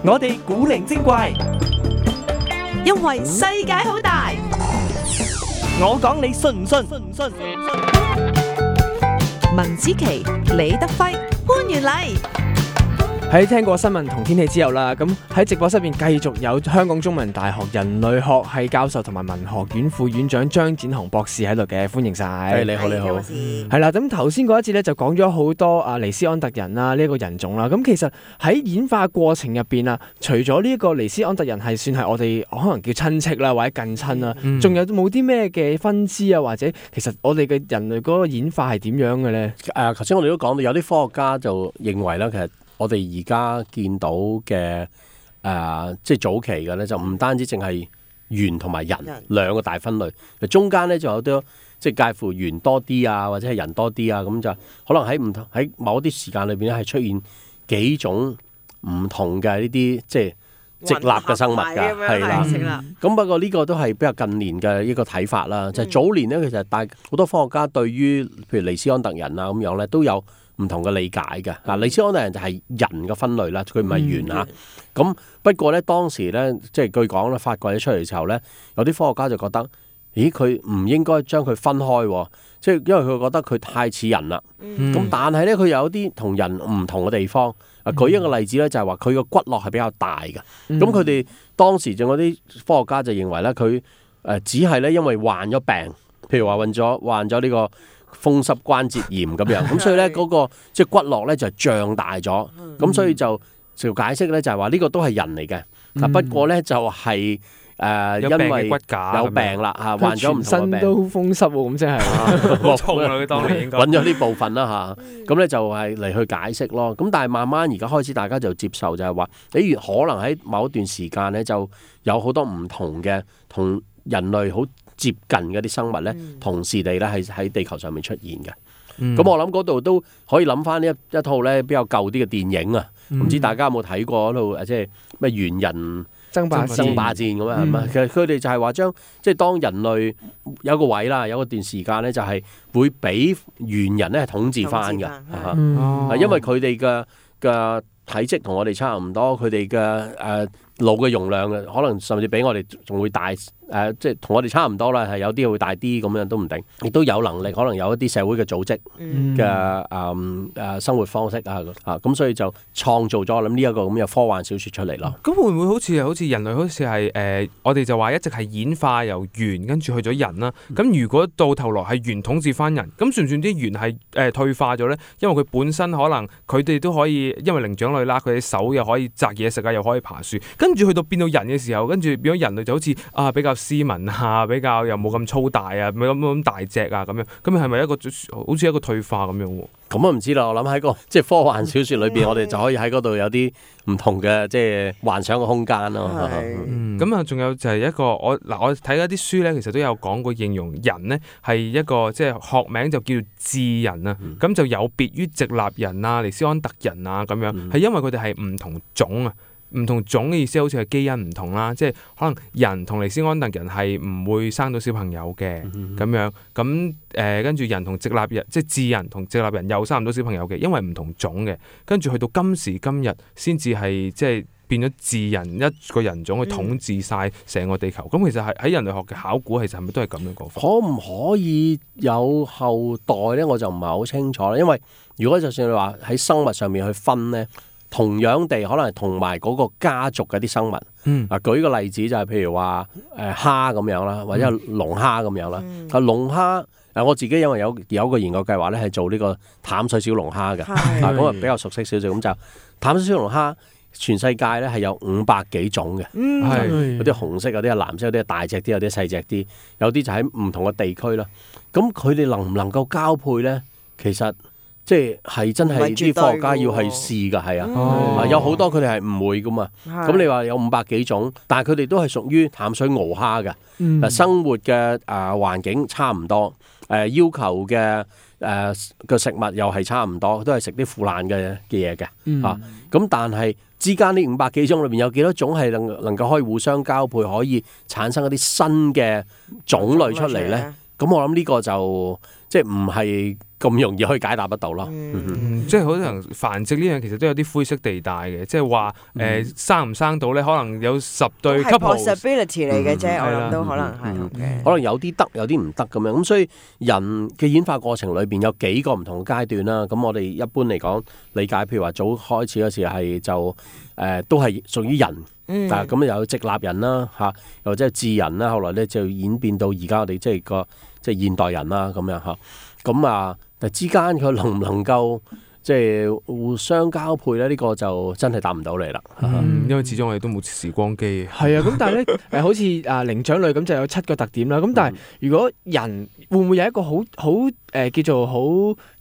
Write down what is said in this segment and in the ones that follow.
我哋古靈精怪，因為世界好大。我講你信唔信？文子琪、李德輝、潘元禮。喺聽過新聞同天氣之後啦，咁喺直播室入邊繼續有香港中文大學人類學系教授同埋文學院副院長張展雄博士喺度嘅，歡迎晒。你好，你好。係啦，咁頭先嗰一節咧就講咗好多尼斯安特人啦，呢一個人種啦。咁其實喺演化過程入邊啊，除咗呢一個尼斯安特人係算係我哋可能叫親戚啦，或者近親啦，仲有冇啲咩嘅分支啊？或者其實我哋嘅人類嗰個演化係點樣嘅咧？頭先我哋都講到，有啲科學家就認為咧，其實我哋而家見到嘅即係早期嘅咧，就唔單止淨係猿同埋人兩個大分類，中間咧仲有啲即係介乎猿多啲啊，或者係人多啲啊，咁就可能喺某啲時間裏邊咧係出現幾種唔同嘅呢啲即係直立嘅生物㗎，係啦。咁不過呢個都係比較近年嘅一個睇法啦。就係早年咧，其實好多科學家對於譬如尼斯安特人啊咁樣咧都有唔同嘅理解嘅。尼斯安特人就係人嘅分類啦，佢唔係猿嚇。咁不過咧當時咧，即係據講咧，發掘咗出嚟嘅時候咧，有啲科學家就覺得，咦，佢唔應該將佢分開喎，即係因為佢覺得佢太似人啦。咁但係咧，佢有啲同人唔同嘅地方。舉一個例子咧，就係話佢個骨骼係比較大嘅。咁佢哋當時仲有啲科學家就認為咧，佢只係咧因為患咗病，譬如話患咗呢個風濕關節炎咁樣，咁所以咧嗰個即係骨骼咧就脹大咗，咁所以就解釋咧就係話呢個都係人嚟嘅。不過咧就係因為骨架有病啦嚇，患咗唔同嘅病，全身都風濕喎，咁即係痛啦！佢當年應該揾咗呢部分啦嚇，咁咧就係嚟去解釋咯。咁但係慢慢而家開始大家就接受就係話，比如可能喺某一段時間咧就有好多唔同嘅同人類好接近嘅啲生物咧，同時地咧係喺地球上面出現嘅。咁我諗嗰度都可以諗翻呢一套咧比較舊啲嘅電影啊，唔知大家有冇睇過嗰套即係咩猿人爭霸戰咁樣係嘛？其實佢哋就係話將即係當人類有個位啦，有一段時間咧就係會俾猿人咧統治翻嘅，因為佢哋嘅體積同我哋差唔多，佢哋嘅腦嘅容量可能甚至比我哋仲會大，即係同我哋差唔多啦，係有啲會大啲咁樣都唔定，亦都有能力可能有一啲社會嘅組織嘅生活方式咁所以就創造咗呢一個咁嘅科幻小説出嚟咯。咁會唔會好似人類好似係我哋就話一直係演化由猿跟住去咗人啦？咁如果到頭來係猿統治翻人，咁算唔算啲猿係退化咗咧？因為佢本身可能佢哋都可以，因為靈長類啦，佢哋手又可以摘嘢食啊，又可以爬樹。跟住去到變到人嘅時候，跟住變咗人類就好似比較斯文啊，比較又冇咁粗大啊，冇咁大隻啊咁樣。咁係咪一個好似一個退化咁樣喎？咁啊唔知啦，我諗喺個即係科幻小説裏邊，我哋就可以喺嗰度有啲唔同嘅即係幻想嘅空間咯。咁啊，仲有就係一個我睇嗰啲書咧，其實都有講過形容人呢係一個即係學名就叫做智人啊。咁就有別於直立人啊、尼斯安特人啊咁樣，係因為佢哋係唔同種啊。唔同種嘅意思好似係基因唔同啦，即係可能人同尼斯安特人係唔會生到小朋友嘅咁樣，咁跟住人同直立人，即係智人同直立人又生唔到小朋友嘅，因為唔同種嘅，跟住去到今時今日先至係即係變咗智人一個人種去統治晒成個地球。咁其實係喺人類學嘅考古，其實係咪都係咁樣講法？可唔可以有後代咧？我就唔係好清楚啦，因為如果就算你話喺生物上面去分咧。同樣地，可能係同埋嗰個家族嘅啲生物。舉個例子就係譬如話蝦咁樣啦，或者龍蝦咁樣啦。龍蝦我自己因為有一個研究計劃咧，係做呢個淡水小龍蝦嘅，咁啊比較熟悉少少。咁就淡水小龍蝦，全世界咧係有500幾種嘅，有啲紅色，有啲係藍色，有啲係大隻啲，有啲細隻啲，有啲就喺唔同嘅地區啦。咁佢哋能唔能夠交配咧？其實即係真係啲科學家要係試㗎，係有好多佢哋係唔會㗎嘛。咁你話有500幾種，但係佢哋都係屬於淡水螯蝦嘅，生活嘅環境差唔多，要求嘅食物又係差唔多，都係食啲腐爛嘅嘢嘅。咁但係之間呢500幾種裏邊有幾多種係能夠可以互相交配，可以產生一啲新嘅種類出嚟咧？咁我諗呢個就即係唔係咁容易可以解答得到咯。即係可能繁殖呢樣其實都有啲灰色地帶嘅，即係話生唔生到咧，可能有10對係 couple。possibility 嚟嘅啫，我係啦諗都可能係嘅。可能有啲得，有啲唔得咁樣。咁所以人嘅演化過程裏邊有幾個唔同嘅階段啦。咁我哋一般嚟講理解，譬如話早開始嗰時係就都係屬於人。但係咁有直立人啦嚇，又或者係智人啦，後來咧就演變到而家我哋即係現代人啦咁樣嚇。咁啊，但之間佢能唔能夠即係互相交配咧？呢個就真係答唔到你啦。因為始終我哋都冇時光機。係啊，咁但係咧好似靈長類咁就有7個特點啦。咁但係如果人會唔會有一個好叫做好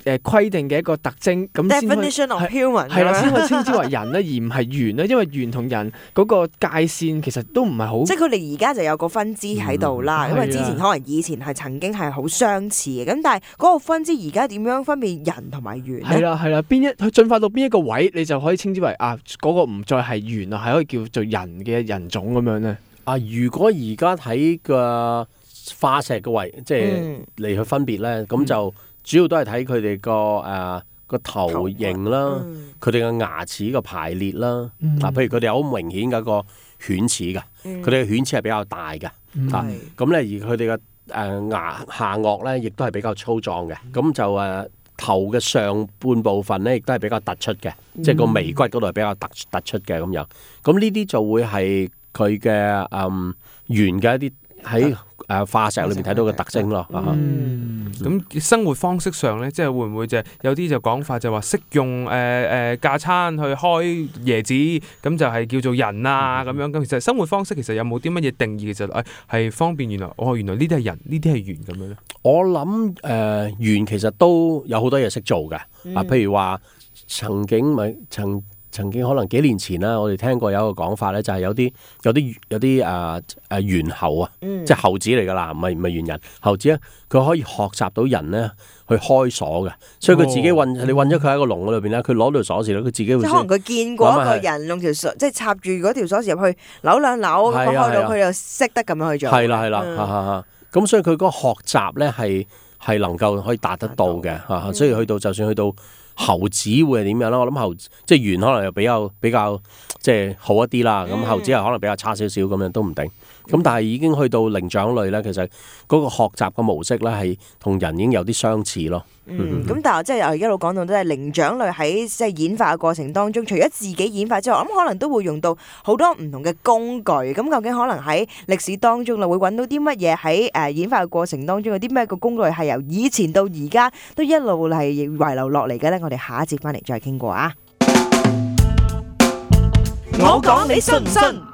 規定嘅一個特徵咁先可以 Definition of human 係啦，先可以稱之為人咧，而唔係猿咧。因為猿同人嗰個界線其實都唔係好，即係佢哋而家就有個分支喺度啦。因為之前係可能以前係曾經係好相似嘅，咁但係嗰個分支而家點樣分辨人同埋猿咧？係啦，佢進化到邊一個位，你就可以稱之為嗰個唔再係猿啦，係可以叫做人嘅人種咁樣咧。如果而家睇個化石嘅位，即係嚟去分別咧，咁就主要都係睇佢哋個頭型啦，佢哋嘅牙齒嘅排列啦。譬如佢哋有好明顯嘅一個犬齒嘅，佢哋嘅犬齒係比較大嘅。咁咧而佢哋嘅牙下顎咧，亦都係比較粗壯嘅。咁就頭嘅上半部分咧，亦都係比較突出嘅，即係個眉骨嗰度係比較突出嘅咁樣。咁呢啲就會係佢嘅猿嘅一啲喺化石裏面睇到嘅特徵咯。咁生活方式上咧，即係會唔會就係有啲就講法就話識用架撐去開椰子，咁就係叫做人啊咁樣。咁其實生活方式其實有冇啲乜嘢定義？其實係方便原來呢啲係人，呢啲係猿咁樣咧。我諗猿其實都有好多嘢識做嘅。譬如話曾經可能幾年前啦，我哋聽過有一個講法咧，就係有啲猿猴啊，即係猴子嚟噶啦，唔係猿人。猴子咧，佢可以學習到人咧去開鎖嘅，所以佢自己你韞咗佢喺個籠裏邊咧，佢攞到鎖匙咧，佢自己會即係可能佢見過一個人用條鎖，即係插住嗰條鎖匙入去扭兩扭，咁開到佢就識得咁樣去做。係啦，咁所以佢嗰個學習咧係能夠可以達得到嘅。所以就算去到猴子會係點樣啦？我諗即係猿可能又比較即係好一啲啦。咁猴子又可能比較差少少咁樣都唔定。咁但係已經去到靈長類咧，其實嗰個學習嘅模式咧係同人已經有啲相似咯。咁但係即係一路講到都係靈長類喺即係演化嘅過程當中，除咗自己演化之外，我諗可能都會用到好多唔同嘅工具。咁究竟可能喺歷史當中啦，會揾到啲乜嘢喺演化嘅過程當中有啲咩個工具係由以前到而家都一路係遺留落嚟嘅咧？我哋下一節翻嚟再傾過啊！我講你信唔信？